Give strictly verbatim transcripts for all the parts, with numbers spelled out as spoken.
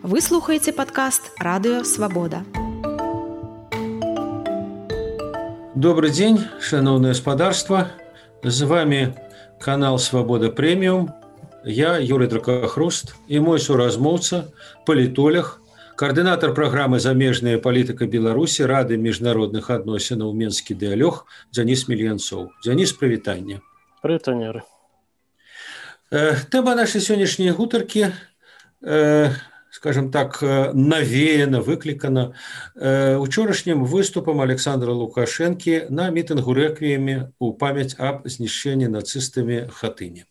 Вы слухаеце падкаст «Радыё Свабода». Добрый день, шановное господарство. С вами канал «Свобода премиум». Я Юрий Дракохруст и мой суразмоўца, палітолог, координатор программы «Замежная политика Беларуси» Рады международных адносінаў «Менскі дыялог» Дзяніс Мільянцоў. Дзяніс, прывітанне. Прывітанне. Тэма нашай сённяшняй гутаркі, скажем так, навеяна, выклікана учорашнім выступам Александра Лукашэнкі на мітынгу рэквіеме ў памяць аб знішчэнні нацыстамі Хатыні.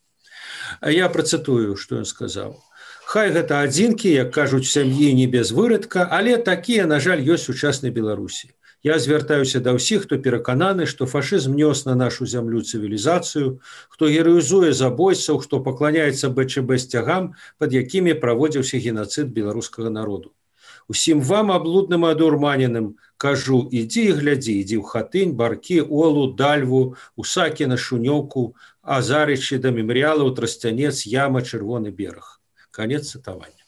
Я працытую, што ён сказаў. Хай гэта адзінкі, як кажуць, сям'і не без вырадка, але такія, на жаль, ёсць у сучаснай Беларусі. Я звяртаюся да ўсіх, хто перакананы, што фашызм нёс на нашу зямлю цывілізацыю, хто гераізуе забойцаў, хто пакланяецца бэ чэ бэ сцягам, пад якімі праводзіўся генацыд беларускага народу. Усім вам, аблудным і адурманеным, кажу, ідзі і глядзі, ідзі ў Хатынь, Баркі, Олу, Дальву, Усакіна, Шунёўку, Азарычы, да мемарыялаў, Трасцянец, Яма, Чырвоны бераг. Конец цитования.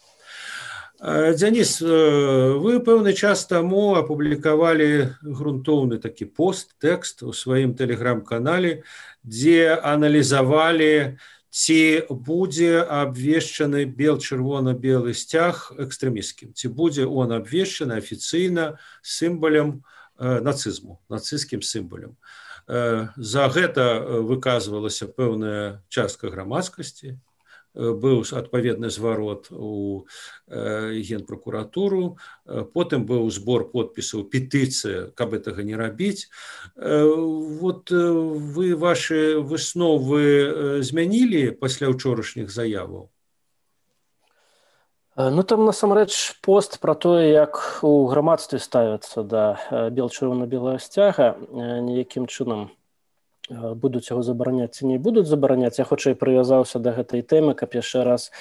Дзяніс, вы пэўны час таму апублікавалі грунтоўны такі пост, тэкст у сваім тэлеграм-канале, дзе аналізавалі, ці будзе абвешчаны бел-чырвона-белы сцяг экстрэмісцкім, ці будзе он абвешчаны афіцыйна сімвалем нацызму, нацысцкім сімвалем. За гэта выказвалася пэўная частка грамадскасці, быў адпаведны зварот у генпракуратуру, потым быў збор подпісаў, петыцыя, каб гэтага не рабіць. Вот вы ваши высновы змянілі пасля ўчорашніх заяваў? Ну там насамрэч пост пра тое, як у грамадстве ставяцца да бел-чырвона-белага сцяга, ніякім чынам будуць яго забараняць ці не будуць забараняць. Я хутчэй прывязаўся да гэтай тэмы, каб яшчэ раз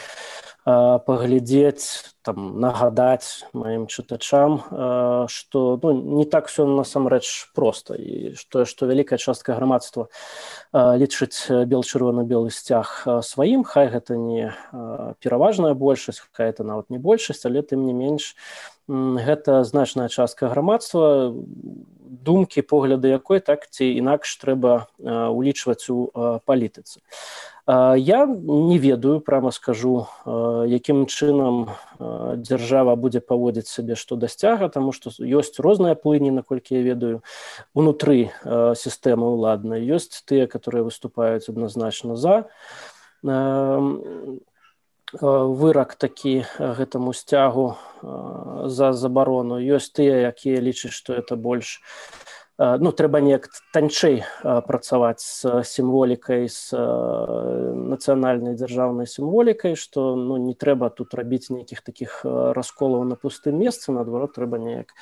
а, паглядзець, там, нагадаць маім чытачам, а, што ну, не так все насамрэч проста, і што, што вялікая частка грамадства а, лічыць бел-чырвона-белы сцяг сваім, хай гэта не а, пераважная большасць, хай гэта нават не большасць, але тым не менш гэта значная частка грамадства, думкі, погляды якой так ці інакш трэба улічваць у палітыцы. Я не ведаю, прямо скажу, якім чынам дзяржава будзе паводзіць сябе што да сцяга, таму што ёсць розныя плыні, наколькі я ведаю, унутры сістэмы ўладнай. Ёсць тыя, которые выступаюць адназначна за вырак такі гэтаму сцягу за забарону. Ёсць тыя, якія лічаць, што это больш, ну, трэба неяк танчэй працаваць з сімволікай, з нацыянальнай дзяржаўнай сімволікай, што ну, не трэба тут рабіць нейкіх такіх расколаў на пустым месцы, наадварот, трэба неяк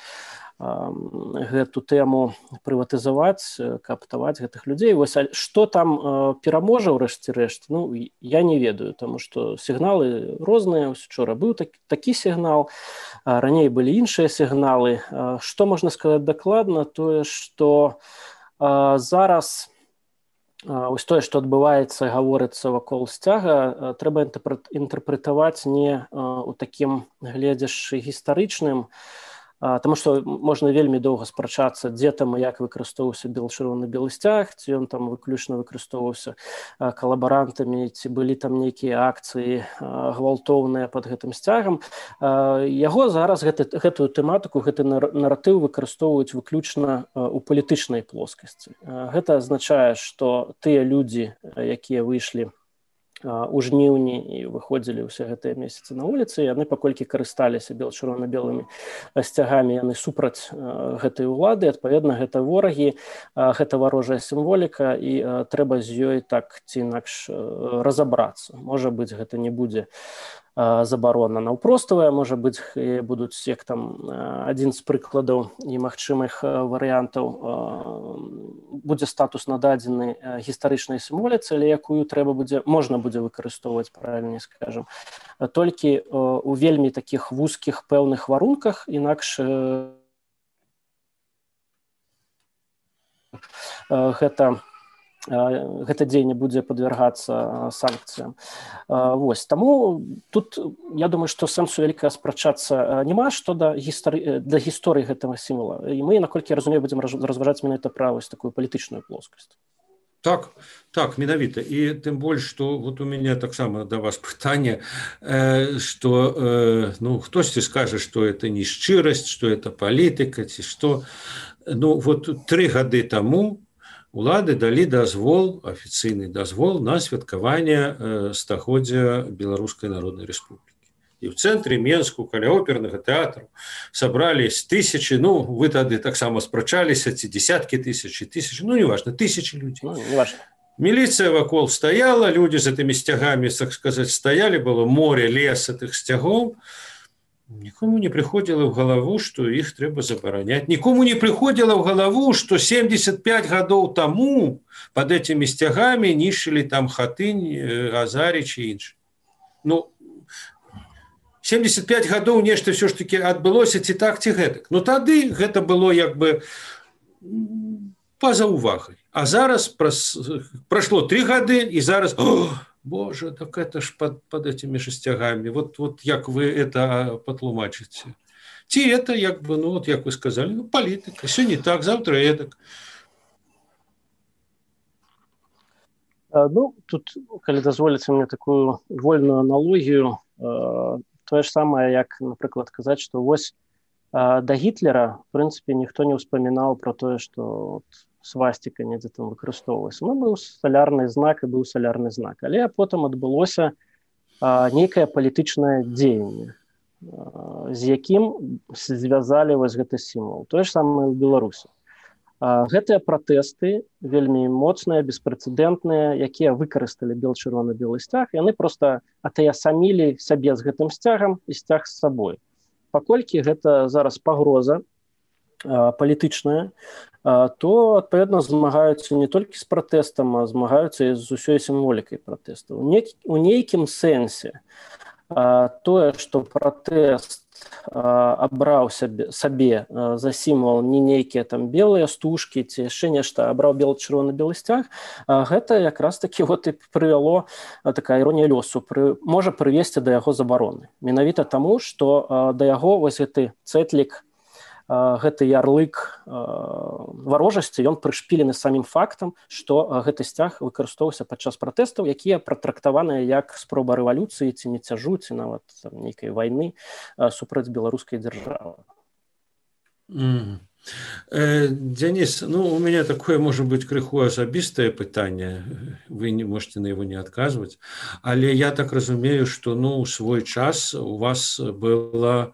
гэту тэму прыватызаваць, кааптаваць гэтых людзей. Вось, што там пераможа ў рэшце рэшт, ну, я не ведаю, таму што сігналы розныя. Учора быў такі, такі сігнал, раней былі іншыя сігналы. Што можна сказаць дакладна? Тое, што зараз ось тое, што адбываецца, гаворыцца вакол сцяга, трэба інтэрпрэтаваць не ў такім гледзяшчы гістарычным, Таму што можна вельмі доўга спрачацца, дзе там і як выкарыстоўваўся бел-чырвона-белы сцяг, ці ён там выключна выкарыстоўваўся калабарантамі, ці былі там нейкія акцыі гвалтоўныя пад гэтым сцягам. Яго зараз гэты, гэтую тэматыку, гэты наратыў выкарыстоўваюць выключна ў палітычнай плоскасці. Гэта азначае, што тыя людзі, якія выйшлі у жніўні і выходзілі ўсе гэтыя месяцы на вуліцы, яны паколькі карысталіся бел-чырвона-белымі сцягамі, яны супраць гэтай улады, адпаведна, гэта ворагі, гэта варожая сімволіка, і трэба з ёй так ці інакш разабрацца. Можа быць, гэта не будзе забарона наўпроставая, можа быць, будуць як там адзін з прыкладаў і магчымых варыянтаў, будзе статус нададзены гістарычнай сімволіцы, але якую трэба будзе, можна будзе выкарыстоўваць, правільней скажам, толькі у вельмі такіх вузкіх пэўных варунках, інакш гэта гэта дзеянне будзе падвяргацца санкцыям. Вось. Таму тут, я думаю, што сэнсу вяліка спрачацца няма што да гісторыі, да гісторыі гэтага сімвала. І мы, наколькі я разумею, будзем разважаць менавіта пра вось такую палітычную плоскасць. Так, так, менавіта. І тым больш, што вот у мяне таксама да вас пытанне, што ну, хтосьці скажа, што это не шчырасць, што это палітыка, ці што. Ну, вот тры гады таму улады далі дазвол, афіцыйны дазвол на святкаванне стагоддзя Беларускай Народнай Рэспублікі. І ў цэнтры Менску, каля опернага тэатру, сабрались тысячи, ну, вы тады таксама спрачаліся, ці десяткі тысяч, тысячи, ну, неважно, тысячи людзей. Ну, неважно. Міліцыя вакол стаяла, людзі з гэтымі сцягамі, так сказаць, стаялі, было море, лес этих сцягоў. Нікому не прыходзіла ў галаву, што іх трэба забараняць. Нікому не прыходзіла ў галаву, што семьдесят пять гадоў таму пад этими сцягамі нішчылі там Хатынь, Азарыч і іншыя. Ну, семьдесят пять гадоў нешта ўсё ж такі адбылося ці так, ці гэтак. Ну тады гэта было як бы па-за увагай. А зараз прайшло три гады, і зараз... Боже, так это ж под, под этими шестягами. Вот, вот як вы это патлумачыце? Ці это, як бы, ну, вот, як вы сказали, ну, политика. Сёння так, завтра эдак. Ну, тут, калі дазволіце мне такую вольную аналогію, тое ж самае, як, напрыклад, казаць, што вось да Гітлера, в прынцыпе, ніхто не ўспамінаў про тое, што свастика недзе там выкарыстоўвалася. Ну, быў салярны знак і быў салярны знак. Але потым адбылося а, нейкае палітычнае дзеянне, а, з якім звязалі вось гэты сімвал. Тое ж самае ў Беларусі. А, гэтыя пратэсты вельмі моцныя, беспрэцэдэнтныя, якія выкарысталі бел-чырвона-белы сцяг, яны проста атаясамілі сябе з гэтым сцягам і сцяг з сабой. Паколькі гэта зараз пагроза а, палітычная, то, адпаведна, змагаюцца не толькі з пратэстам, а змагаюцца і з усёй сімволікай пратэсту. У нейкім сэнсе тое, што пратэст абраў сабе, сабе за сімвал не нейкія там белыя стужкі ці яшчэ нешта, абраў бел-чырвона-белы сцяг, гэта якраз такі вот і прывяло, такая іронія лёсу, пры, можа прывесці да яго забароны. Менавіта таму, што да яго вось гэты цэтлік, гэты ярлык варожасці, ён прышпілены самім фактам, што гэты сцяг выкарыстоўваўся падчас пратэстаў, якія пратрактаваныя як спроба рэвалюцыі ці міцяжу, ці нават там, нейкай вайны супраць беларускай дзяржавы. Mm. Э, Денис, ну, у меня такое, может быть, крыху асабістае пытанне, вы не можете на его не адказваць, але я так разумею, што ну, у свой час у вас было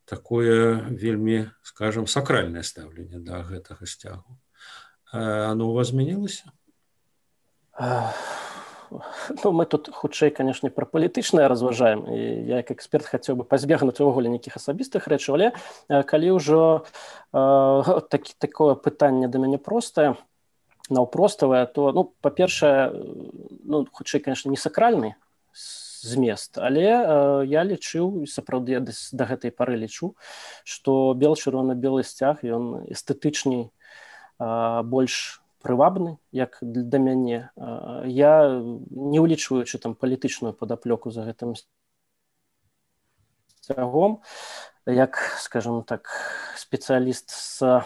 такое вельмі, скажем, сакральное ставленне да гэтага сцягу. Оно у вас змянілася? Ну, мы тут хутчэй, конечно, пра палітычнае разважаем, і я як эксперт хацеў бы пазбегнуць увогуле нейкіх асабістых рэчаў, але калі ўжо э, так, такое пытанне да мяне простае, наўпроставае, то, ну, па-першае, ну, хутчэй, конечно, не сакральны змест, але э, я лічыў, сапраўды я да гэтай пары лічу, што бел-чырвона-белы сцяг, ён эстэтычней, э, больш прывабны, як да мяне. Э, я, не ўлічваючы там палітычную падаплёку за гэтым сцягом, як, скажем так, спецыяліст, з,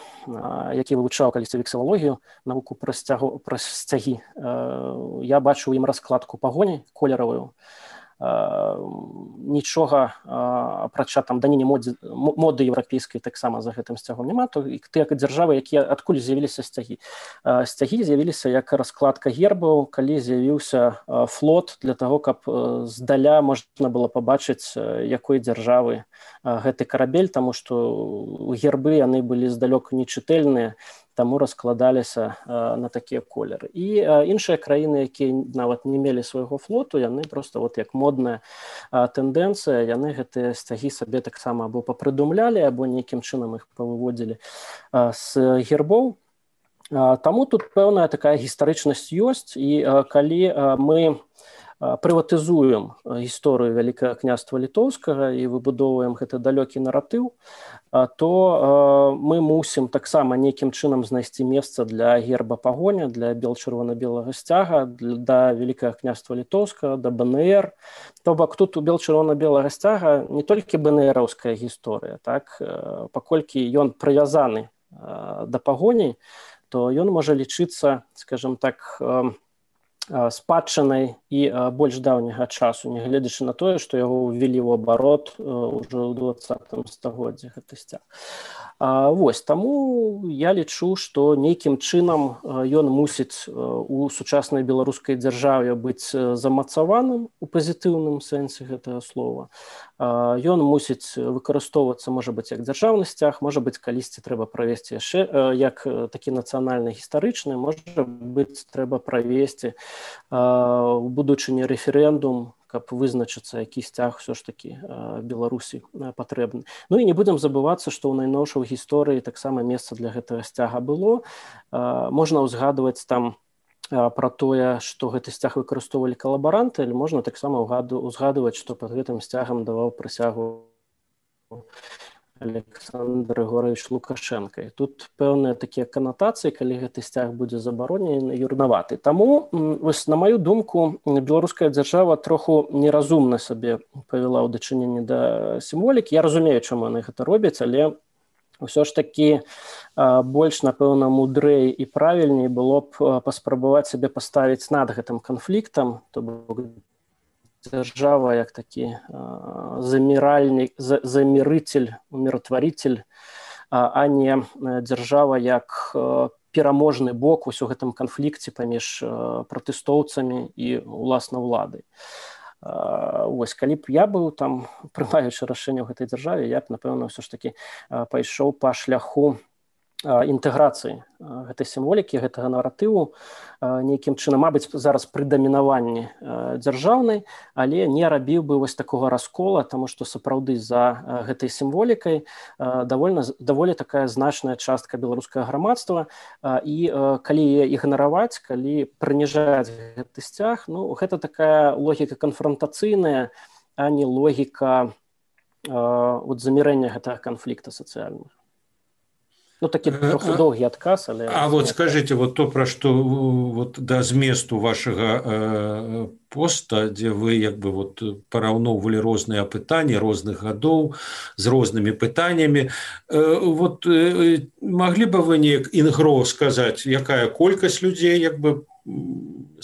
які вывучаў калісьці вексілалогію, навуку пра, сцягу, пра сцягі, э, я бачу ім раскладку пагоні колеравую. Uh, нічога uh, апрача там даніне моды, моды еўрапейскай таксама за гэтым сцягом няма, то і тыя дзяржавы, якія адкуль з'явіліся сцягі. Uh, сцягі з'явіліся як раскладка гербаў, калі з'явіўся uh, флот для таго, каб uh, здаля можна было пабачыць, uh, якой дзяржавы uh, гэты карабель, таму што гербы яны былі здалёк нечытэльныя, таму раскладаліся э, на такія колеры. І э, іншыя краіны, якія нават не мелі свайго флоту, яны проста вот як модная э, тэндэнцыя, яны гэтыя сцягі сабе таксама або папрыдумлялі, або нейкім чынам іх павыводзілі э, з гербоў. Э, таму тут пэўная такая гістарычнасць ёсць, і э, калі э, мы прыватызуем гісторыю Вялікага княства літоўскага і выбудоўваем гэты далёкі наратыў, то мы мусім таксама нейкім чынам знайсці месца для герба пагоня, для бел-чырвона-белага сцяга, да Вялікага княства літоўскага, да бэ эн эр. То бок тут у бел-чырвона-белага сцяга не толькі бэ эн эраўская гісторыя, так, паколькі ён прывязаны да пагоні, то ён можа лічыцца, скажем так, спадчынай і больш даўняга часу, нягледзячы на тое, што яго ўвялі ў абарот ўжо ў дваццатым стагоддзі гэты сцяг. Вось, таму я лічу, што нейкім чынам ён мусіць у сучаснай беларускай дзяржаве быць замацаваным у пазітыўным сэнсе гэтага слова. Ён мусіць выкарыстоўвацца, можа быць, як дзяржаўны сцяг, можа быць, калісьці трэба правесці яшчэ як такі нацыянальны гістарычны, можа быць, трэба правесці у будучыні рэферэндум, каб вызначыцца, які сцяг ўсё ж такі Беларусі патрэбны. Ну і не будзем забывацца, што ў найноўшай гісторыі таксама месца для гэтага сцяга было. Можна ўзгадваць там пра тое, што гэты сцяг выкарыстоўвалі калабаранты, але можна таксама ўзгадваць, што пад гэтым сцягам даваў прысягу Александр Григорович Лукашенко. І тут пэўныя такія канатацыі, калі гэты сцяг будзе забаронены, юрнаваты. Таму, вось, на маю думку, беларуская дзяржава троху неразумна сабе павяла ў дачыненні да сімволікі. Я разумею, чаму яны гэта робяць, але ўсё ж такі больш, напэўна, мудрэй і правільней было б паспрабаваць сябе паставіць над гэтым канфліктам, то бок дзяржава як такі заміральнік, замірыцель, умиротворитель, а не дзяржава як пераможны бок у гэтым канфлікце паміж пратэстоўцамі і уласна ўладай. Вось, калі б я быў там, прымаючы рашэнне ў гэтай дзяржаве, я б, напэўна, ўсё ж такі пайшоў па шляху інтэграцыі гэтай сімволікі, гэтага наратыву нейкім чынам, мабыць, зараз пры дамінаванні дзяржаўнай, але не рабіў бы вось такога раскола, таму што сапраўды за гэтай сімволікай даволі, даволі такая значная частка беларускага грамадства, і калі яе ігнараваць, калі прыніжаць гэты сцяг, ну, гэта такая логіка канфрантацыйная, а не логіка от замірэння гэтага канфлікта сацыяльнага. Ну, такі трохи доўгі адказ, але... А вот скажите, вот то, пра што вот, да зместу вашага э, поста, дзе вы як бы вот параўноўвалі розныя апытанні розных гадоў з рознымі пытаннямі, э, вот э, маглі бы вы неяк інгро сказаць, якая колькасць людзей як бы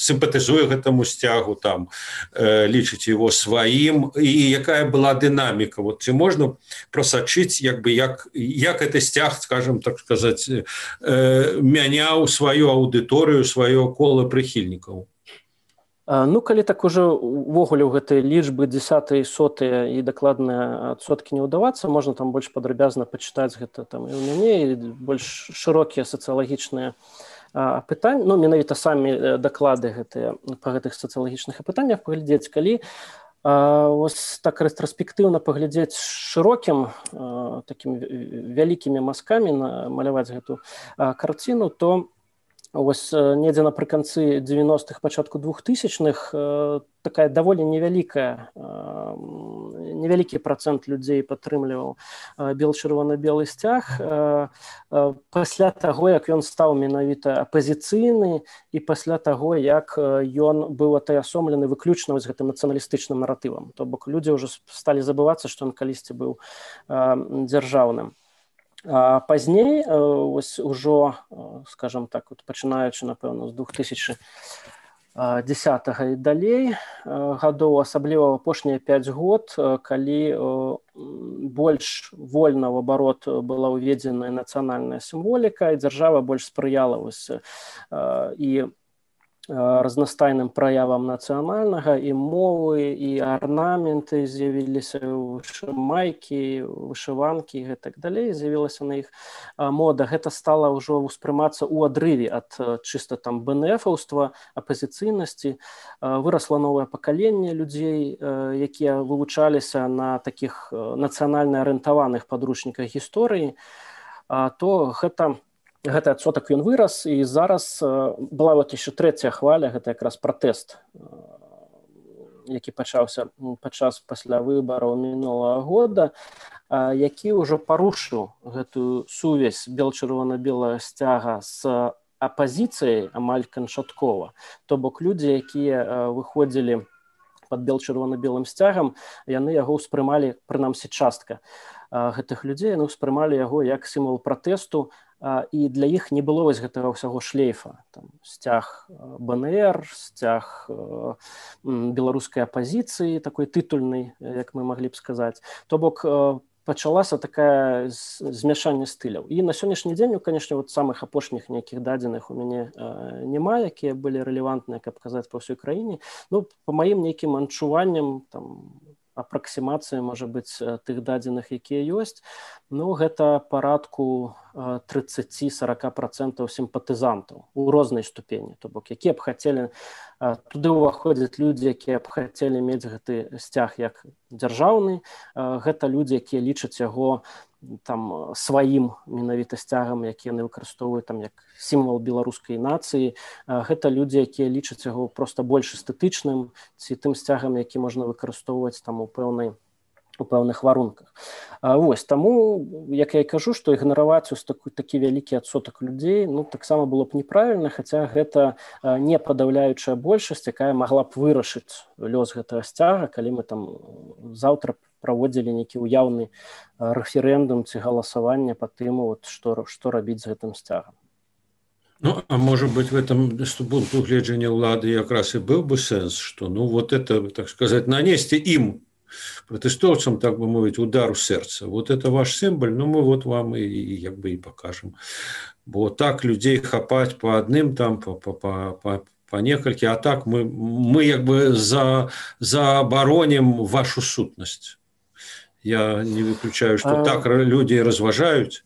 сімпатызуе гэтаму сцягу, там, э, лічыць его сваім, і якая была дынаміка? Вот, ці можна прасачыць, як бы, як, як гэты сцяг, скажем, так сказаць, э, мяняў сваю аўдыторыю, сваё кола прыхільнікаў? Ну, калі так уже увогуле ў гэтай лічбы дзесятыя, сотыя і дакладныя адсоткі не ўдавацца, можна там больш падрабязна пачытаць гэта там і ў мяне, і больш шырокія сацыялагічныя апытанні, ну, менавіта самі даклады гэтыя па гэтых сацыялагічных апытаннях паглядзець, калі ось так рэтраспектыўна паглядзець шырокім такім вялікімі мазкамі намаляваць гэту карціну, то ось недзе напрыканцы дзевяностых, пачатку двухтысячных такая даволі невялікая, невялікі працэнт людзей падтрымліваў бел-чырвона-белы сцяг. Пасля таго, як ён стаў менавіта апазіцыйны, і пасля таго, як ён быў атаясомлены выключна з гэтым нацыяналістычным наратывам. То бок людзі ўжо сталі забывацца, што ён калісьці быў дзяржаўным. А пазней, ось ужо, скажем так, вот, пачынаючы, напэўна, з двух тысячы дзесятага і далей гадоў, асабліва ў апошнія пяць год, калі больш вольна ў абарот была ўведзеная нацыянальная сімволіка, і дзяржава больш спрыяла вось, і разнастайным праявам нацыянальнага, і мовы, і арнаменты з'явіліся, майкі, вышыванкі і гэтак далей, з'явілася на іх мода. Гэта стала ўжо ўспрымацца ў адрыве ад чыста там бэ эн эфаўства, апазіцыйнасці. Вырасла новае пакаленне людзей, якія вывучаліся на такіх нацыянальна арыентаваных падручніках гісторыі, то гэта Гэты адсотак ён вырас, і зараз была вот яшчэ трэцяя хваля, гэта якраз пратэст які пачаўся падчас пасля выбараў мінулага года, які ўжо парушыў гэтую сувязь бел-чырвона-белага сцяга з апазіцыяй амаль канчаткова. То бок людзі, якія выходзілі пад бел-чырвона-белым сцягам, яны яго ўспрымалі, прынамсі частка гэтых людзей, яны ўспрымалі яго як сімвал пратэсту, і для іх не было вось гэтага ўсяго шлейфа. Там, сцяг БНР, сцяг беларускай апазіцыі, такой тытульнай, як мы маглі б сказаць. То бок пачалася такая змяшанне стыляў. І на сённяшні дзень, канешне, вот самых апошніх нейкіх дадзеных у мяне няма, якія былі рэлевантныя, каб казаць па ўсёй краіне. Ну, па маім нейкім адчуванням, там, апраксімацыі, можа быць, тых дадзеных, якія ёсць, ну, гэта парадку тридцать-сорок процентов сімпатызантаў у рознай ступені. То бок, якія б хацелі, туды ўваходзяць людзі, якія б хацелі мець гэты сцяг як дзяржаўны, гэта людзі, якія лічаць яго там сваім менавіта сцягам, які яны выкарыстоўваюць там як сімвал беларускай нацыі. Гэта людзі, якія лічаць яго проста больш эстэтычным, ці тым сцягам, які можна выкарыстоўваць там у пэўнай у пэўных варунках. Вось, таму, як я і кажу, што ігнараваць ось такі, такі вялікі адсотак людзей, ну, таксама было б неправільна, хаця гэта не падаўляючая большасць, якая магла б вырашыць лёс гэтага сцяга, калі мы там заўтра праводзілі нейкі ўяўны рэферэндум ці галасаванне па тым, вот, што, што рабіць з гэтым сцягам. Ну, а может быть, в этом пункту гледжання ўлады якраз і быў бы сэнс, што, ну, вот это, так сказать, нанести им, протестовцам, так бы мовить, удар в сердце. Вот это ваш символ, ну мы вот вам и, и як бы и покажем. Бо так людей хапать по одним там, по, по, по, по, по некалькі, а так мы, мы як бы за, заабароним вашу сутнасць. Я не выключаю, что а... так люди разважаюць.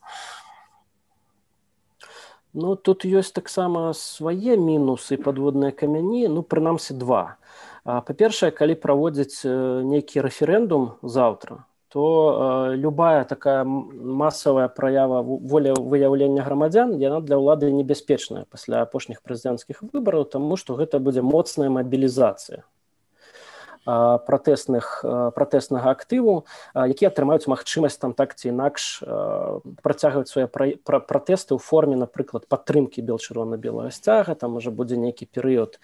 Ну, тут ёсць таксама свае мінусы, падводныя камяні, ну, прынамсі два. Па-першае, калі праводзіць нейкі рэферэндум заўтра, то любая такая масавая праява волевыяўлення грамадзян, яна для ўлады небяспечная пасля апошніх прэзідэнцкіх выбараў, таму што гэта будзе моцная мабілізацыя пратэсных, пратэснага актыву, які атрымаюць магчымасць там так ці інакш працягваць свае пратэсты ў форме, напрыклад, падтрымкі бел-чырвона-белага сцяга, там можа будзе нейкі перыяд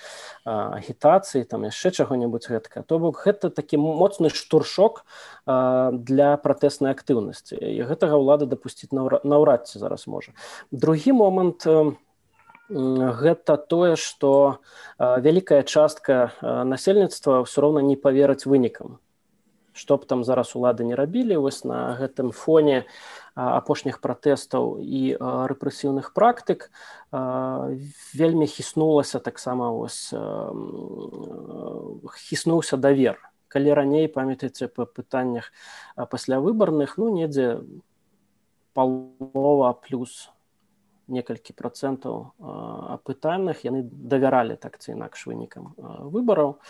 агітацыі, там яшчэ чаго-небудзь гэткага. То бок гэта такі моцны штуршок для пратэснай актыўнасці. І гэтага ўлада дапусціць наўрад ці зараз можа. Другі момант гэта тое, што вялікая частка насельніцтва ўсё роўна не паверыць вынікам. Што б там зараз улады не рабілі, вось на гэтым фоне апошніх пратэстаў і рэпрэсіўных практык вельмі хіснулася таксама вось хіснуўся давер. Калі раней, памятаеце, па пытаннях паслявыбарных, ну, недзе палова плюс некалькі процентаў апытаных, яны давяралі так ці інакш вынікам выбараў,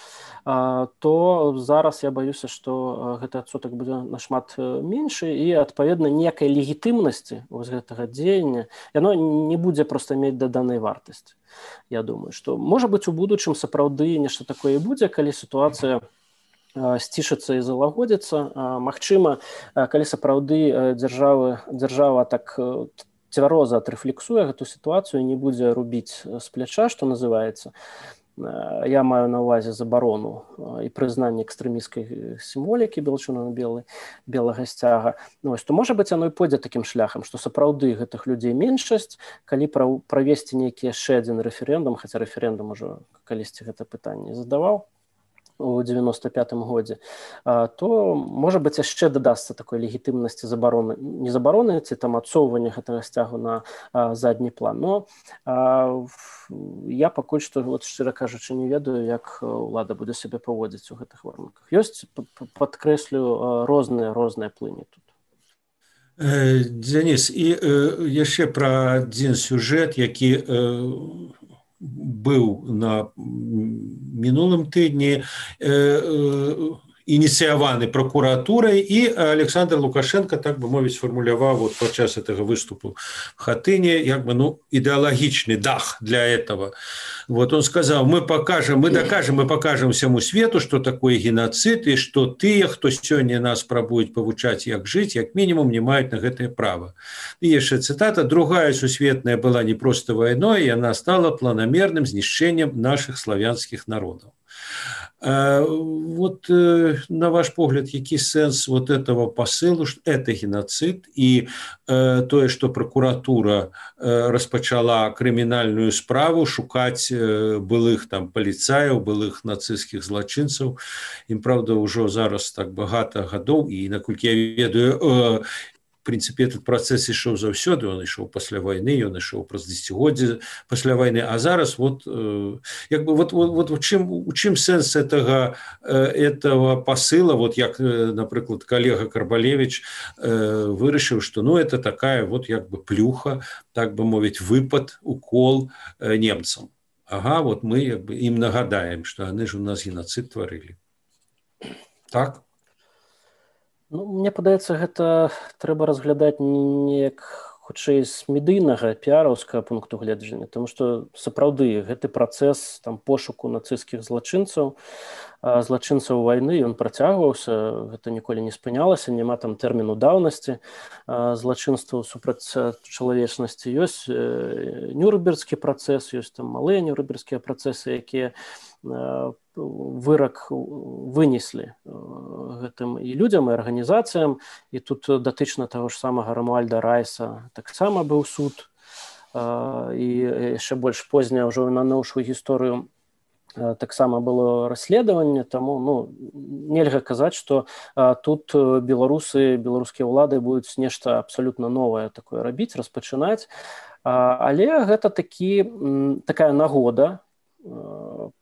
то зараз я баюся, што гэты адсотак будзе нашмат меншы і, адпаведна, некай легітымнасці вось гэтага дзеяння, яно не будзе проста мець даданай вартасці. Я думаю, што, можа быць, у будучым сапраўды нешта такое будзе, калі сітуацыя сцішыцца і залагодзіцца. Магчыма, калі сапраўды дзяржава, дзяржава так цвяроза адрэфлексуе гэту сітуацыю, не будзе рубіць з пляча, што называецца. Я маю на ўвазе забарону і прызнанне экстрэмісцкай сімволікі бел-чырвона-белага сцяга. Ну, то, можа быць, яно і пойдзе такім шляхам, што сапраўды гэтых людзей меншасць, калі правесці нейкі яшчэ адзін рэферэндум, хаця рэферэндум ужо калісьці гэта пытанне задаваў у девяносто пятым годзе, то, можа быць, яшчэ дадасца такой легітымнасці забароны, не забароны, ці там адсоўвання гэтага сцягу на задні план. Но я пакуль што, вот, шчыра кажучы, не ведаю, як ўлада будзе сябе паводзіць у гэтых варунках. Ёсць, падкрэслю, розныя розныя плыні тут. Дзяніс, і яшчэ пра адзін сюжэт, які быў на мінулым тыдні, ініцыяваны прокуратурай, і Александр Лукашенко, так бы мовіць, сфармуляваў вот падчас этого выступу в Хатыне як бы ну ідэалагічны дах для этого. Вот он сказал: мы покажем, мы докажем, мы покажем всему свету, что такое геноцид, и что тыя, хто сёння нас пробуюць павучаць, як жыць, як мінімум не маюць на гэтае права. І яшчэ цытата: другая сусветная была не просто войной, и она стала планомерным знішчэннем наших славянских народов. Вот на ваш погляд, які сэнс вот этого посылу, что это геноцид, и тое, что прокуратура распачала крымінальную справу шукаць былых там паліцаяў, былых нацысцкіх злачынцаў. Ім, правда, ўжо зараз так багата гадоў, і наколькі я ведаю, в принципе, этот процесс ішоў заўсёды, он ішоў пасля войны, он ішоў праз дзесяцігоддзе пасля войны, а зараз вот як бы вот вот вот у чым у чым сэнс этого этого посыла, вот як, напрыклад, калега Карбалевич вырашыў, что ну это такая вот як бы плюха, так бы мовіць, выпад, укол немцам. Ага, вот мы як бы ім нагадаем, что яны ж у нас геноцид тварылі. Так? Ну, мне падаецца, гэта трэба разглядаць неяк хутчэй з медыйнага піараўскага пункту гледжання, тому што сапраўды гэты працэс там пошуку нацысцкіх злачынцаў, злачынцаў вайны, ён працягваўся, гэта ніколі не спынялася, няма там тэрміну даўнасці злачынстваў супраць чалавечнасці. Ёсць нюрнбергскі працэс, ёсць там малыя нюрнбергскія працэсы, якія вырак вынеслі гэтым і людзям, і арганізацыям. І тут датычна таго ж самага Рамуальда Райса таксама быў суд, і яшчэ больш позняя ўжо на новую гісторыю таксама было расследаванне, таму ну, нельга казаць, што тут беларусы, беларускія ўлады будуць нешта абсалютна новае такое рабіць, распачынаць, але гэта такі, такая нагода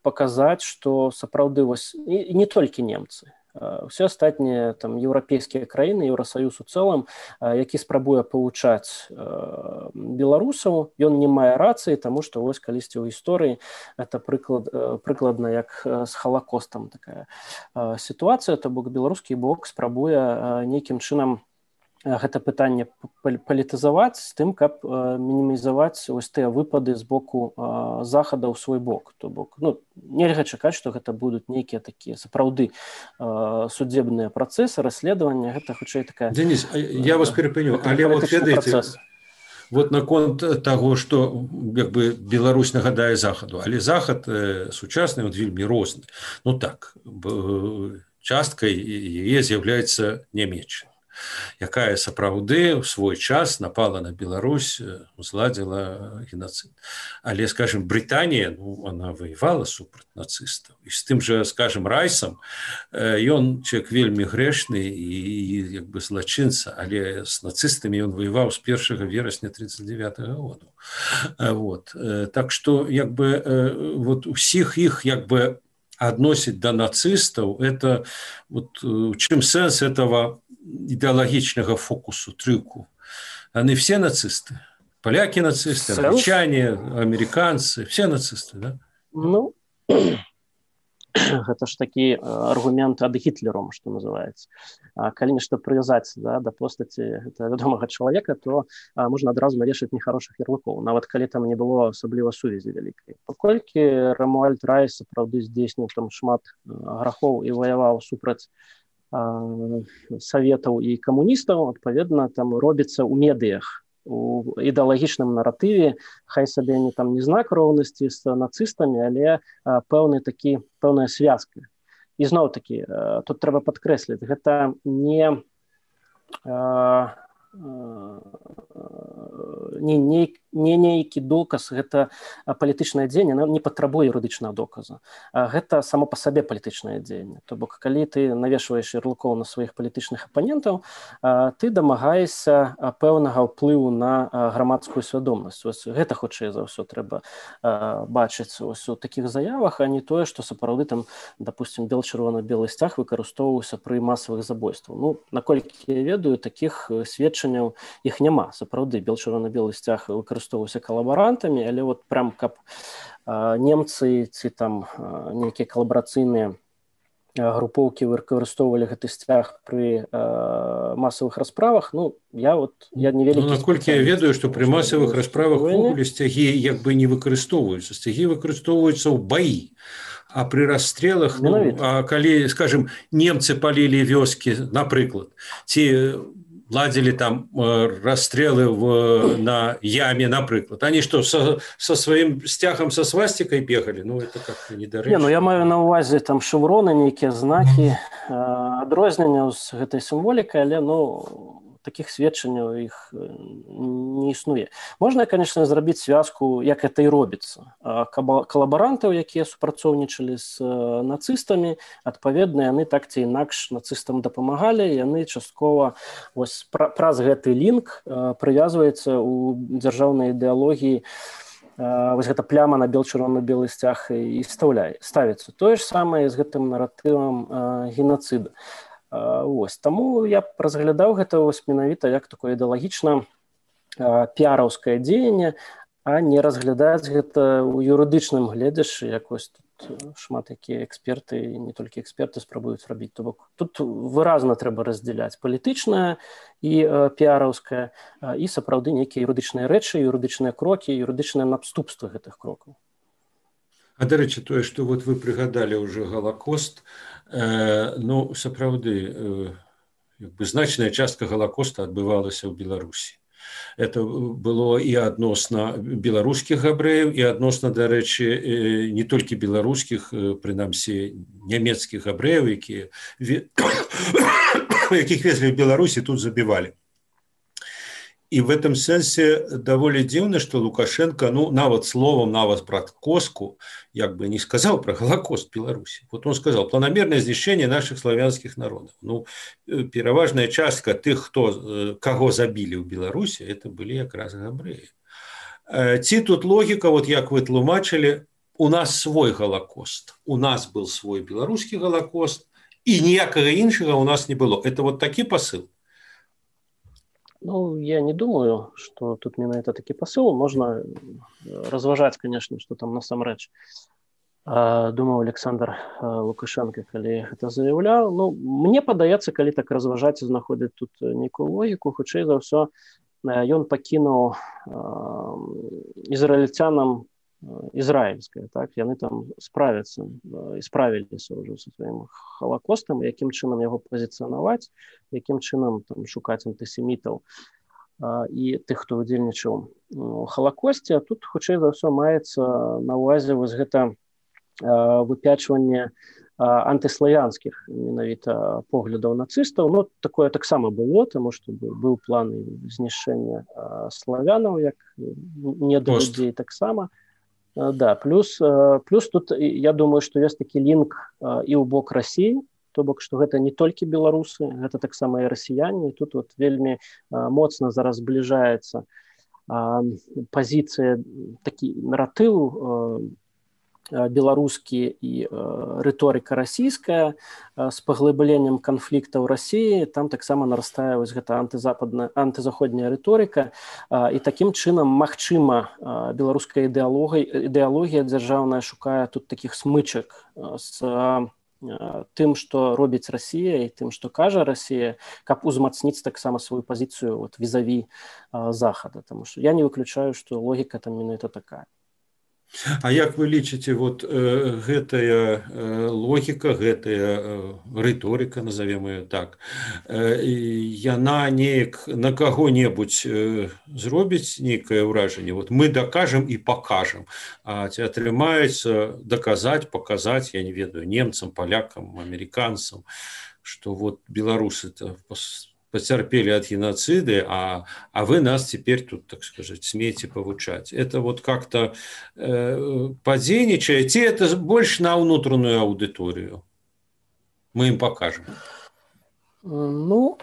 показаць, што сапраўды вось і не толькі немцы, усе астатнія там еўрапейскія краіны, Еўрасаюз у цэлым, які спрабуе павучаць беларусаў, ён не мае рацыі, таму што вось калісьці ў гісторыі это прыклад, прыкладна як з Халакостам такая сітуацыя, то бок беларускі бок спрабуе нейкім чынам гэта пытанне палітызаваць з тым, каб мінімізаваць ось тыя выпады з боку захада ў свой бок. То бок, ну, нельга чакаць, што гэта будуць нейкія такія сапраўды судебныя працэсы, расследавання, гэта хутчэй такая... Денис, я вас перапыню, але вот ведаеце, вот наконт таго, што як бы Беларусь нагадае захаду, але захад сучасны, он вельмі розны. Ну так, часткай яе з'яўляецца Нямецчына, якая сапраўды ў свой час напала на Беларусь, узладзіла геноцид. Але, скажем, Британія, ну, она воевала супраць нацыстаў. І з тым жа, скажем, Райсам, ён чалавек вельмі грэшны і як бы злачынца, але з нацыстамі ён воеваў з першага верасня тридцать девятого года. Вот. Так што, як бы, вот усіх іх, як бы, адносіць да нацыстаў, это вот чым сэнс этого ідэалагічнага фокусу, трюку. Они все нацисты. Поляки нацисты, англичане, американцы, все нацисты, да? Ну, гэта ж такі аргумент ад Гітлером, што называецца. Калі нешта прывязаць да, да постаці гэта вядомага чалавека, то можна адразу навешаць нехарошых ярлыкоў, нават калі там не было асабліва сувязі вялікай. Паколькі Рамуальд Райс сапраўды здзейсніў там шмат грахоў і ваяваў супраць саветаў і камуністаў, адпаведна, там робіцца ў медыях, у ідэалагічным наратыве, хай сабе не там не знак роўнасці з нацыстамі, але пэўны такі, пэўная звязка. І зноў такі, тут трэба падкрэсліць, гэта не не, не, не нейкі доказ, гэта палітычнае дзеянне, не патрабуе юрыдычнага доказа. Гэта само па сабе палітычнае дзеянне. То бок, калі ты навешваеш ярлыкоў на сваіх палітычных апанентаў, ты дамагаешся пэўнага ўплыву на грамадскую свядомасць. Ось гэта хутчэй за ўсё трэба бачыць ось у такіх заявах, а не тое, што сапраўды там, допустим, бел-чырвона-белы сцяг выкарыстоўваўся пры масавых забойствах. Ну, наколькі я ведаю, такіх сведчанняў іх няма. Сапраўды, бел-чырвона-белы сцяг выкарыстоўваўся калабарантамі, але вот прям каб немцы ці там нейкія калабарацыйныя групоўкі выкарыстоўвалі гэты сцяг пры э, масавых расправах. Ну, я вот я не вялікі ну, наколькі я ведаю, што пры масавых расправах увогуле сцягі як бы не выкарыстоўваюцца. Сцягі выкарыстоўваюцца ў баі. А пры расстрелах, ну, а калі, скажем, немцы палілі вёскі, напрыклад, ці ладзілі там расстрелы в, на яме, напрыклад, они что, со, со сваім сцягам са свастикай бегалі? Ну, это как-то недарэчна. Не, ну, я маю на ўвазе там шевроны, нейкія знакі, адрозненняў з гэтай сімволікай, але, ну, таких сведчанняў іх не існуе. Можна, конечно, зрабіць звязку, як это і робіцца. Калабарантаў, якія супрацоўнічалі з нацыстамі, адпаведна, яны так ці інакш нацыстам дапамагалі, яны часткова вось праз гэты лінк прывязваецца ў дзяржаўнай ідэалогіі, вось гэта пляма на бел-чырвона-белы сцяг і ставіцца. Тое ж самае з гэтым наратывам геноцида. Вось. Таму я разглядаў гэта вось менавіта як такое ідэалагічна піараўскае дзеянне, а не разглядаць гэта ў юрыдычным гледзяшчы, як вось тут шмат якія эксперты, не толькі эксперты спрабуюць рабіць. То бок тут выразна трэба раздзяляць палітычнае і піараўскае і сапраўды нейкія юрыдычныя рэчы, юрыдычныя крокі, юрыдычныя наступствы гэтых крокаў. А, дарэчы, тое, што вот вы прыгадалі ўжо Галакост, э, ну, сапраўды, э, як бы значная частка Галакоста адбывалася ў Беларусі. Это было і адносна беларускіх габрэяў, і адносна, дарэчы, не толькі беларускіх, прынамсі, нямецкіх габрэяў, якія, якіх везлі ў Беларусі, тут забівалі. И в этом сенсе довольно дивно, что Лукашенко, ну, нават словом, нават про Коску, як бы не сказал про Голокост в Беларуси. Вот он сказал, планомерное знищение наших славянских народов. Ну, пераважная частка тех, кто, кого забили в Беларуси, это были как раз габреи. Ці тут логика, вот як вы тлумачили, у нас свой Голокост, у нас был свой белорусский Голокост, и ніякага іншага у нас не было. Это вот такі посыл? Ну, я не думаю, что тут менавіта такі посыл. Можно разважаць, конечно, что там насамрэч думаў Александр Лукашенко, калі гэта заяўляў. Ну, мне падаецца, калі так разважаць і знаходзіць тут нейкую логіку, хутчэй за ўсё ён пакінуў ізраільцянам ізраільскае, так, яны там справяцца і справіліся ўжо са сваім Халакостам, якім чынам яго пазіцыянаваць, якім чынам там шукаць антысемітаў і тых, хто удзельнічаў у Халакосце. А тут хутчэй за ўсё маецца на ўвазе вось гэта выпячванне антыславянскіх менавіта поглядаў нацыстаў. Ну, такое таксама было, таму што быў план знішчэння славянаў як недалюдзей таксама. Да, плюс, плюс тут я думаю, што ёсць такі лінк і ў бок Расіі, то бок, што гэта не толькі беларусы, гэта таксама і расіяне, і тут вот вельмі моцна зараз збліжаецца пазіцыя, такі наратыў беларускі і рыторыка расійская з паглыбленнем канфліктаў Расіі, там таксама нарастае вось гэта антызападная, антызаходняя рыторыка, і такім чынам, магчыма, беларуская ідэалогія, ідэалогія дзяржаўная шукае тут такіх смычак з тым, што робіць Расія, і тым, што кажа Расія, каб узмацніць таксама сваю пазіцыю вот, візаві Захада. Таму што я не выключаю, што логіка там менавіта такая. А як вы лічыце, вот э, гэтая э, логіка, гэтая э, рыторыка, назовем ее так, э, яна неяк на каго-небудзь э, зробіць нейкае ўражанне? Вот мы дакажам і пакажам, а ці атрымаецца даказаць, паказаць, я не ведаю, немцам, палякам, амерыканцам, што вот беларусы-то потерпели от геноцида, а, а вы нас теперь тут, так сказать, смеете повучать. Это вот как-то э, подзейничаете, это больше на внутреннюю аудиторию. Мы им покажем. Ну,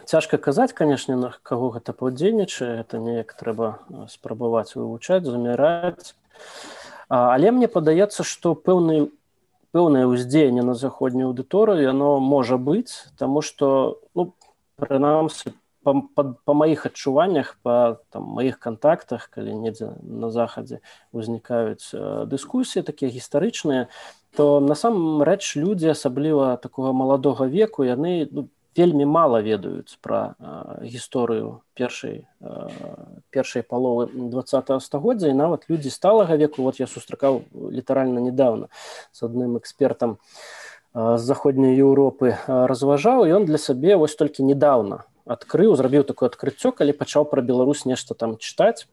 цяжка казаць, конечно, на кого гэта падзейнічае, это неяк трэба спрабаваць вывучаць, замяраць. Але мне падаецца, што пэўны пэўнае ўздзеянне на заходнюю аўдыторыю, яно можа быць, таму што, ну, прынамсі, па, па, па маіх адчуваннях, па там, маіх кантактах, калі недзе на захадзе ўзнікаюць э, дыскусіі такія гістарычныя, то насамрэч людзі, асабліва такога маладога веку, яны ну, вельмі мала ведаюць пра э, гісторыю першай, э, першай паловы двадцатага стагоддзя, і нават людзі сталага веку, вот я сустракаў літаральна недавно з адным экспертам э, з заходняй Еўропы, э, разважаў, і ён для сябе вось толькі недавно адкрыў, зрабіў такое адкрыццё, калі пачаў пра Беларусь нешта там чытаць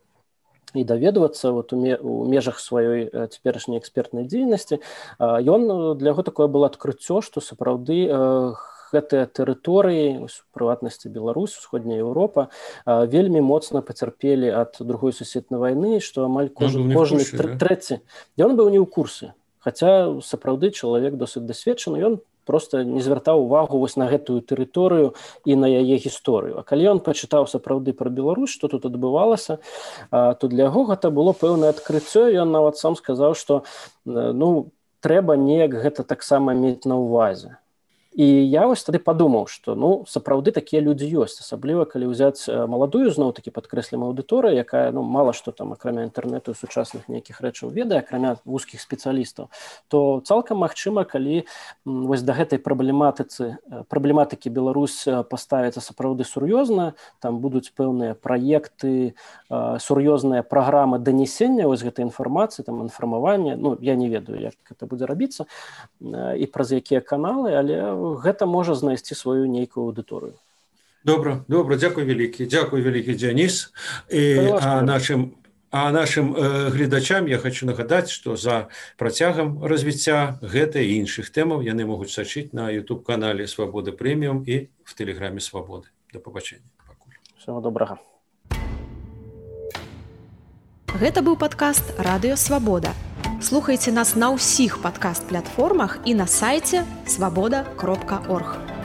і даведвацца вот, у, ме, у межах сваёй э, цяперашняй экспертнай дзейнасці. Э, ён, для яго такое было адкрыццё, што сапраўды э, гэтыя тэрыторыі, у прыватнасці Беларусь, усходняя Еўропа, э, вельмі моцна пацярпелі ад другой сусветнай вайны, што амаль кожны, кожны курсе, тр, да? трэці. Ён быў не ў курсе, хаця сапраўды чалавек досыць дасведчаны, ён просто не звяртаў увагу вось на гэтую тэрыторыю і на яе гісторыю. А калі ён пачытаў сапраўды пра Беларусь, што тут адбывалася, то для яго гэта было пэўнае адкрыццё. Ён нават сам сказаў, што ну, трэба неяк гэта таксама мець на ўвазе. І я вось тады падумаў, што ну, сапраўды такія людзі ёсць, асабліва калі ўзяць маладую, зноў-такі падкрэслім аўдыторыю, якая ну, мала што там, акрамя інтэрнэту і сучасных нейкіх рэчаў ведае, акрамя вузкіх спецыялістаў, то цалкам магчыма, калі вось да гэтай праблематыцы, праблематыкі Беларусь паставіцца сапраўды сур'ёзна, там будуць пэўныя праекты, сур'ёзныя праграмы данесення вось гэтай інфармацыі, там інфармавання, ну, я не ведаю, як гэта будзе рабіцца, і праз якія каналы, але гэта можа знайсці сваю нейкую аўдыторыю. Добра, добра, дзякуй вялікі, дзякуй вялікі, Дзяніс. І, а нашым, а нашым э, гледачам я хочу нагадаць, што за працягам развіцця гэтай і іншых тэмаў яны могуць сачыць на YouTube-канале Свабода Прэміум і в Тэлеграме Свабоды. Да пабачэння. Пакуль. Всего добрага. Гэта быў падкаст «Радыё Свабода». Слухайце нас на ўсіх падкаст-платформах і на сайце свабода кропка орг.